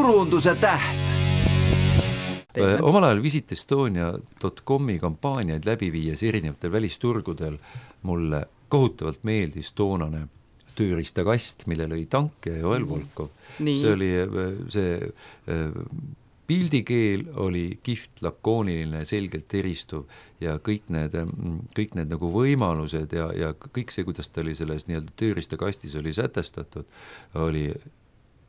turunduse täht. Omal ajal visitestonia.com-i kampaaniaid läbi viies erinevatel välisturgudel mulle kohutavalt meeldis toonane tööriistakast, millel oli Tank ja Joel Volkov. See oli pildikeel oli kihvt, lakooniline, selgelt eristuv ja kõik need nagu võimalused ja kõik see, kuidas ta oli selles nii-öelda tööriistakastis oli sätestatud, oli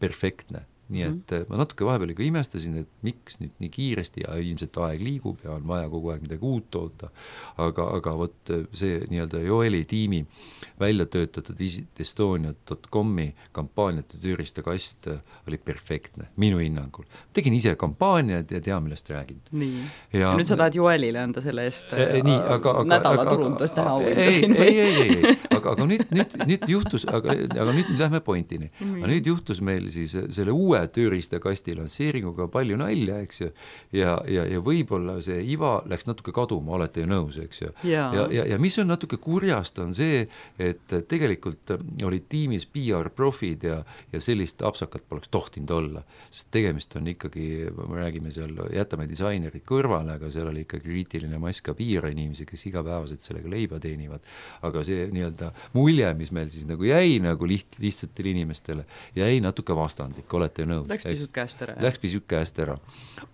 perfektne. Nii et ma natuke vahepeal ikka imestasin, et miks nüüd nii kiiresti ja ilmselt aeg liigub ja on vaja kogu aeg midagi uut toota, aga võt see nii-öelda Joeli tiimi välja töötatud visitestonia.com-i kampaaniate tööriistakast oli perfektne, minu hinnangul. Tegin ise kampaaniad ja tea, millest räägin. Nii. Ja nüüd sa tahad Joelile anda selle eest nädala turundust teha uuendasin või? Ei. Aga nüüd juhtus, aga nüüd lähme pointini. Nüüd juhtus meil siis selle uue tööriistakasti lansseeringuga palju nalja, eks ju, ja võib-olla see iva läks natuke kaduma, olete ju nõus, eks ju. Ja mis on natuke kurjast, on see, et tegelikult olid tiimis PR-profid ja sellist apsakat poleks tohtinud olla, sest tegemist on ikkagi, me räägime seal, jätame disainerid kõrvale, aga seal oli ikka kriitiline mass ka PR-inimesi, kes igapäevaselt sellega leiba teenivad, aga see nii-öelda mulje, mis meil siis nagu jäi nagu lihtsatele inimestele, jäi natuke vastandlik, olete nõus. Läks pisut käest ära.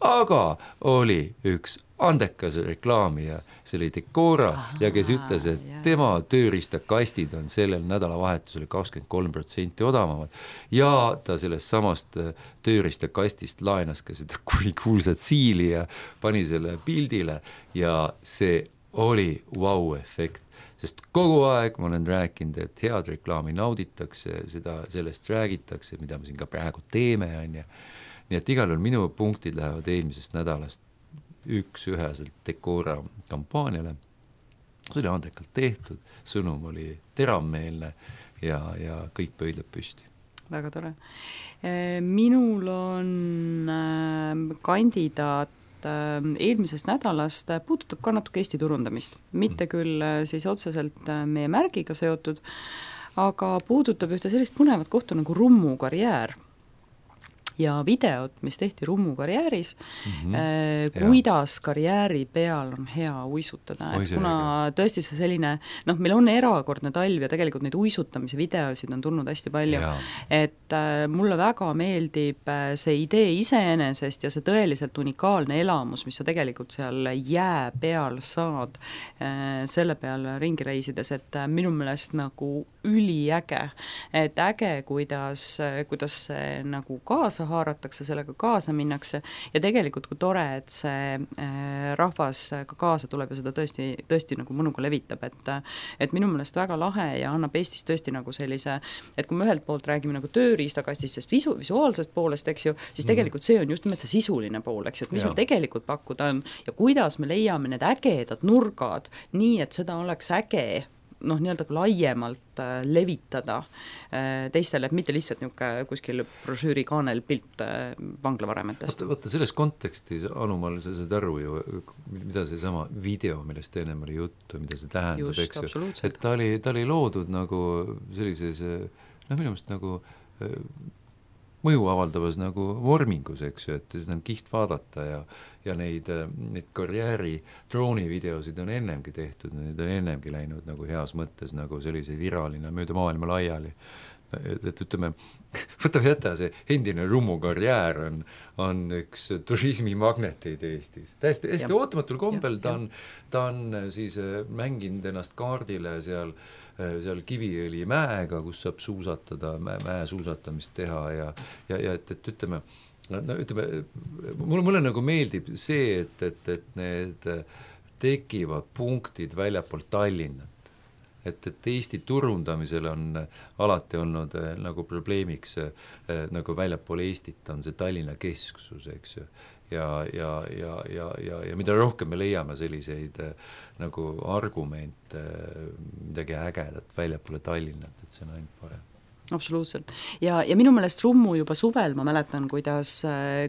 Aga oli üks andekas reklaamija, see oli Decora ja kes ütles, et tema tööriistakastid on sellel nädalavahetusel 23% odavamad ja ta sellest samast tööriistakastist laenas ka seda kuulsat siili ja pani selle pildile ja see oli wow-efekt. Sest kogu aeg ma olen rääkinud, et head reklaami nauditakse, sellest räägitakse, mida me siin ka praegu teeme. Nii et igal on minu punktid lähevad eelmisest nädalast üheselt Decora kampaaniale. See oli andekalt tehtud, sõnum oli teravmeelne ja kõik pöidlad püsti. Väga tore. Minul on kandidaat eelmisest nädalast puudutab ka natuke Eesti turundamist. Mitte küll siis otseselt meie märgiga seotud, aga puudutab ühte sellist põnevat kohta nagu Rummu karjäär. Ja videot, mis tehti Rummu karjääris, kuidas karjääri peal on hea uisutada. Kuna tõesti see selline, meil on erakordne talv ja tegelikult neid uisutamise videosid on tulnud hästi palju, et mulle väga meeldib see idee iseenesest ja see tõeliselt unikaalne elamus, mis sa tegelikult seal jää peal saad selle peal ringi reisides, et minu meelest nagu üliäge, et äge, kuidas see nagu kaasa haaratakse, sellega kaasa minnakse ja tegelikult kui tore, et see rahvas ka kaasa tuleb ja seda tõesti nagu mõnuga levitab, et minu meelest väga lahe ja annab Eestis tõesti nagu sellise, et kui me ühelt poolt räägime nagu tööriistakastist, sest visuaalsest poolest, eks ju, siis tegelikult see on just nimelt see sisuline pool, eks ju, et mis meil tegelikult pakkuda on ja kuidas me leiame need ägedad nurgad, nii et seda oleks äge nii-öelda laiemalt levitada teistele, et mitte lihtsalt niisugune kuskil brošüüri kaanel pilt vanglavaremetest. Vaata selles kontekstis, Anumal, sa saad aru ju, mida see sama video, millest ennem oli juttu, mida see tähendab, eks ju, et ta oli loodud nagu sellises, minu meelest nagu mõju avaldavas nagu vormingus, eks ju, et seda on kiht vaadata ja neid karjääri droonivideosid on ennemgi tehtud, need on ennemgi läinud nagu heas mõttes nagu sellise viraalina mööda maailma laiali. Et ütleme, võtab jätta see endine Rummu karjäär on üks turismimagneteid Eestis. Täiesti ootamatul kombel ta on siis mänginud ennast kaardile seal Kiviõli mäega, kus saab suusatada, mäe suusatamist teha ja et ütleme, mulle nagu meeldib see, et need tekivad punktid väljapool Tallinnat. Et Eesti turundamisel on alati olnud nagu probleemiks nagu väljapool Eestit on see Tallinna kesksus, eks ju. Ja mida rohkem me leiame selliseid nagu argumente, midagi ägedat väljapoole Tallinnat, et see on ainult parem. Absoluutselt. Ja minu meelest Rummu juba suvel, ma mäletan, kuidas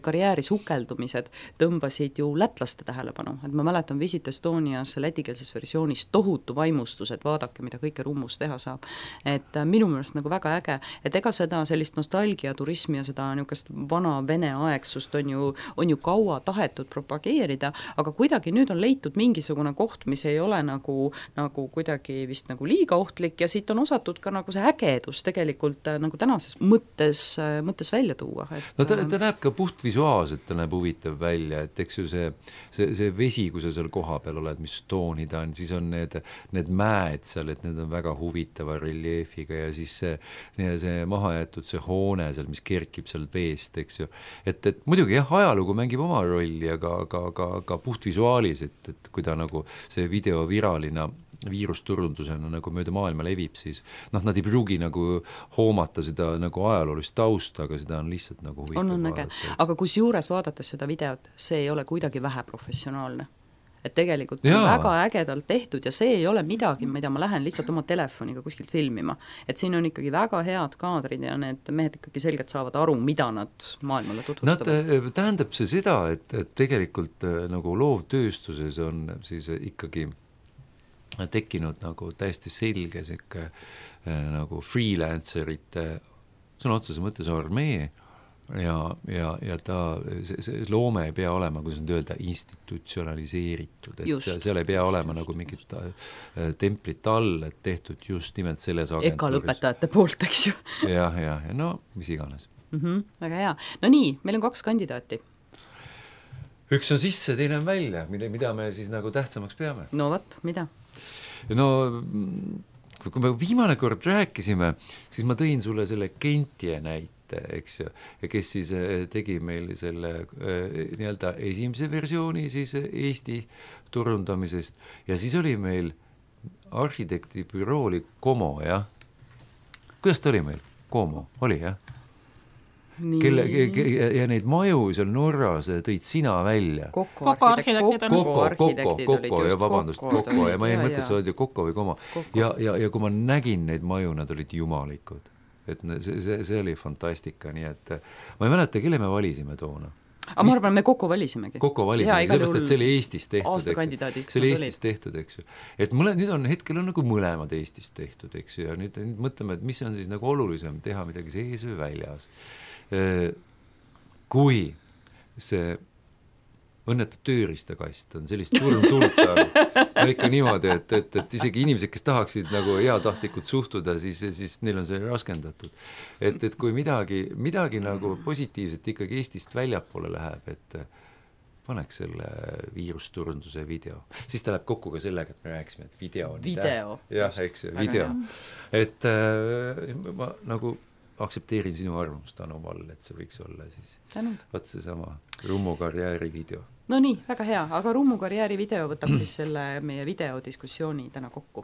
karjääri sukeldumised tõmbasid ju lätlaste tähelepanu, et ma mäletan Visit Estonias lätikeelses versioonis tohutu vaimustus, et vaadake, mida kõike Rummus teha saab. Et minu meelest nagu väga äge, et ega seda sellist nostalgiaturismi ja seda niisugust vana vene aegsust on ju kaua tahetud propageerida, aga kuidagi nüüd on leitud mingisugune koht, mis ei ole nagu kuidagi vist nagu liiga ohtlik ja siit on osatud ka nagu see ägedus tegelikult nagu tänases mõttes välja tuua. No ta näeb ka puhtvisuaalselt, ta näeb huvitav välja, et eks ju see vesi, kui sa seal koha peal oled, mis tooni ta on, siis on need mäed seal, et need on väga huvitava reljeefiga ja siis see mahajäetud see hoone seal, mis kerkib seal veest, eks ju. Et muidugi jah, ajalugu mängib oma rolli, aga puhtvisuaalis, et kui ta nagu see video viraalina viirusturundusena nagu mööda maailma levib, siis nad ei pruugi nagu hoomata seda nagu ajaloolist tausta, aga seda on lihtsalt nagu huvitav vaadata. Aga kus juures vaadates seda videot, see ei ole kuidagi vähe professionaalne. Et tegelikult on väga ägedalt tehtud ja see ei ole midagi, mida ma lähen lihtsalt oma telefoniga kuskilt filmima. Et siin on ikkagi väga head kaadrid ja need mehed ikkagi selgelt saavad aru, mida nad maailmale tutvustavad. Tähendab see seda, et tegelikult nagu loovtööstuses on siis ikkagi tekkinud nagu täiesti selge siuke nagu freelancerite sõna otsese mõttes armee ja ta see loome ei pea olema, kuidas nüüd öelda, institutsionaliseeritud, et seal ei pea olema nagu mingit templit all, et tehtud just nimelt selles agentuuris. Eka lõpetajate poolt, eks ju. ja no mis iganes. Väga hea. No nii, meil on 2 kandidaati. Üks on sisse, teine on välja, mida me siis nagu tähtsamaks peame. No võt, mida? No kui me viimane kord rääkisime, siis ma tõin sulle selle Kentie näite, eks ju, kes siis tegi meil selle nii-öelda esimese versiooni siis Eesti turundamisest ja siis oli meil arhitektibüroo oli Como, jah? Kuidas ta oli meil? Como, oli, jah? Ja neid maju seal Norras tõid sina välja. Kokko ja vabandust, Kokko ja ma ei mõttes öelda Kokko või Como. Ja kui ma nägin neid maju, nad olid jumalikud. Et see oli fantastika, nii et ma ei mäleta, kelle me valisime toona. Aga ma arvan, me Kokko valisimegi. Kokko valisime, sellepärast, et see oli Eestis tehtud, eks ju. Eestis tehtud, eks ju. Et nüüd on hetkel on nagu mõlemad Eestis tehtud, eks ju. Ja nüüd mõtleme, et mis on siis nagu olulisem teha midagi sees või väljas. Kui see õnnetu tööristakast on sellist tuld saanud, no ikka niimoodi, et isegi inimesed, kes tahaksid nagu heatahtlikult suhtuda, siis neil on see raskendatud. Et kui midagi nagu positiivset ikkagi Eestist väljapoole läheb, et paneks selle viirusturunduse video. Siis ta läheb kokku ka sellega, et me rääkisime, et video on video. Jah, eks ju, video. Et ma nagu aktsepteerin sinu arvamust, Anu Vall, et see võiks olla siis võt seesama Rummu karjääri video. No nii, väga hea, aga Rummu karjääri video võtab siis selle meie videodiskussiooni täna kokku.